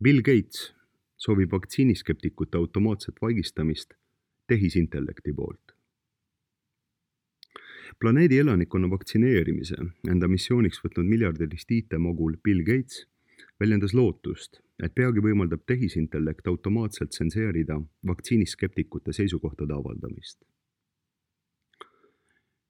Bill Gates soovib vaktsiiniskeptikute automaatset vaigistamist tehisintellekti poolt. Planeedi elanikkonna vaktsineerimise enda missiooniks võtnud miljardilist IT-mogul Bill Gates väljendas lootust, et peagi võimaldab tehisintellekt automaatselt tsenseerida vaktsiiniskeptikute seisukohtade avaldamist.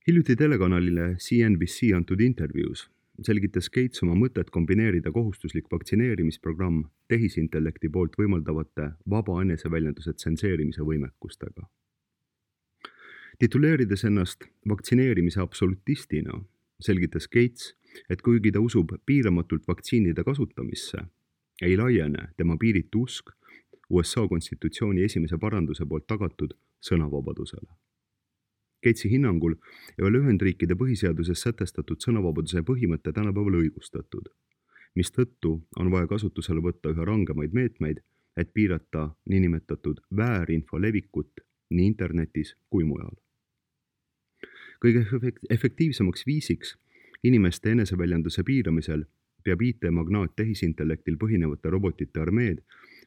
Hiljuti telekanalile CNBC antud intervjuus selgitas Gates oma mõtet kombineerida kohustuslik vaktsineerimisprogramm tehisintellekti poolt võimaldavate vaba eneseväljenduse tsenseerimise võimekustega. Tituleerides ennast vaktsineerimise absolutistina, selgitas Gates, et kuigi ta usub piiramatult vaktsiinide kasutamisse, ei laiene tema piiritu usk USA konstitutsiooni esimese paranduse poolt tagatud sõnavabadusele. Gatesi hinnangul ei ole Ühendriikide põhiseaduses sätestatud sõnavabaduse põhimõte tänapäeval õigustatud, mistõttu on vaja kasutusele võtta üha rangemaid meetmeid, et piirata niinimetatud väärinfo levikut nii internetis kui mujal. Kõige efektiivsemaks viisiks inimeste eneseväljenduse piiramisel peab IT-magnaat tehisintellektil põhinevate robotite armeed,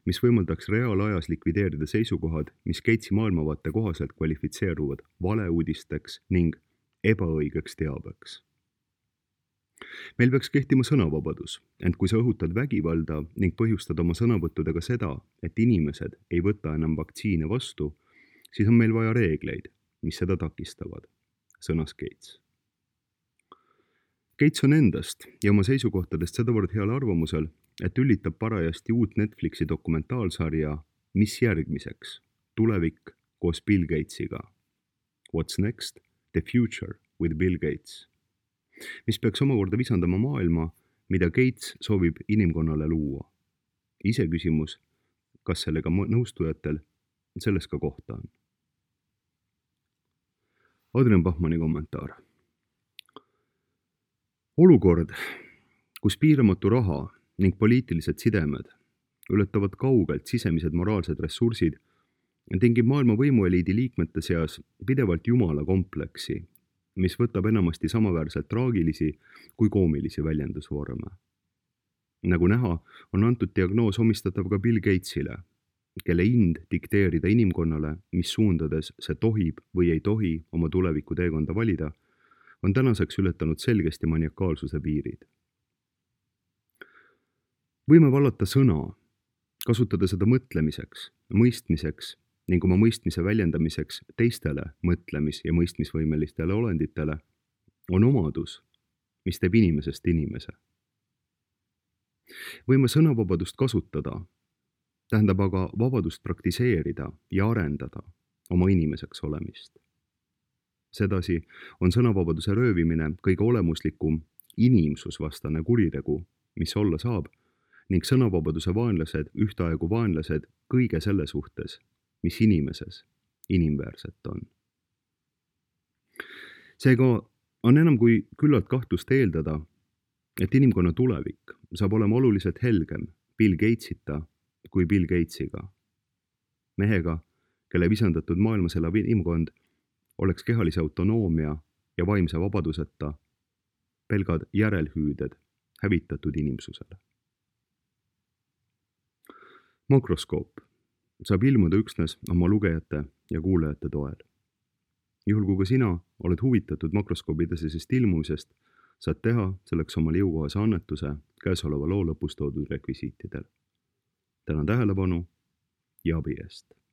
mis võimaldaks reaalajas likvideerida seisukohad, mis Gatesi maailmavaate kohaselt kvalifitseeruvad valeuudisteks ning ebaõigeks teabeks. Meil peaks kehtima sõnavabadus, ent kui sa õhutad vägivalda ning põhjustad oma sõnavõttudega seda, et inimesed ei võta enam vaktsiine vastu, siis on meil vaja reegleid, mis seda takistavad, sõnas Gates. Gates on endast ja oma seisukohtadest sedavõrd heal arvamusel, et ülitab parajasti uut Netflixi dokumentaalsarja Mis järgmiseks? Tulevik koos Bill Gatesiga. What's next? The future with Bill Gates. Mis peaks omakorda visandama maailma, mida Gates soovib inimkonnale luua. Iseküsimus, kas sellega nõustujatel selles ka kohta on. Adrian Bachmanni kommentaar. Olukord, kus piiramatu raha ning poliitilised sidemed ületavad kaugelt sisemised moraalsed ressursid, tingib maailma võimueliidi liikmete seas pidevalt jumala kompleksi, mis võtab enamasti samaväärselt traagilisi kui koomilisi väljendusvorme. Nagu näha, on antud diagnoos omistatav ka Bill Gatesile, kelle ind dikteerida inimkonnale, mis suundades see tohib või ei tohi oma tuleviku teekonda valida, on tänaseks ületanud selgesti maniakaalsuse piirid. Võime vallata sõna, kasutada seda mõtlemiseks, mõistmiseks ning oma mõistmise väljendamiseks teistele mõtlemis- ja mõistmisvõimelistele olenditele, on omadus, mis teeb inimesest inimese. Võime sõnavabadust kasutada, tähendab aga vabadust praktiseerida ja arendada oma inimeseks olemist. Sedasi on sõnavabaduse röövimine kõige olemuslikum inimsusvastane kuritegu, mis olla saab, ning sõnavabaduse vaenlased ühtaegu vaenlased kõige selle suhtes, mis inimeses inimväärset on. Seega on enam kui küllalt kahtlust eeldada, et inimkonna tulevik saab olema oluliselt helgem Bill Gatesita kui Bill Gatesiga. Mehega, kelle visandatud maailmas elav inimkond oleks kehalise autonoomia ja vaimse vabaduseta pelgad järelhüüded hävitatud inimsusele. Makroskoop saab ilmuda üksnes oma lugejate ja kuulajate toel. Juhul kui ka sina oled huvitatud makroskoobi edasisest ilmumisest, saad teha selleks omale jõukohase annetuse käesoleva loo lõpus toodud rekvisiitidel. Tänan tähelepanu ja abi eest!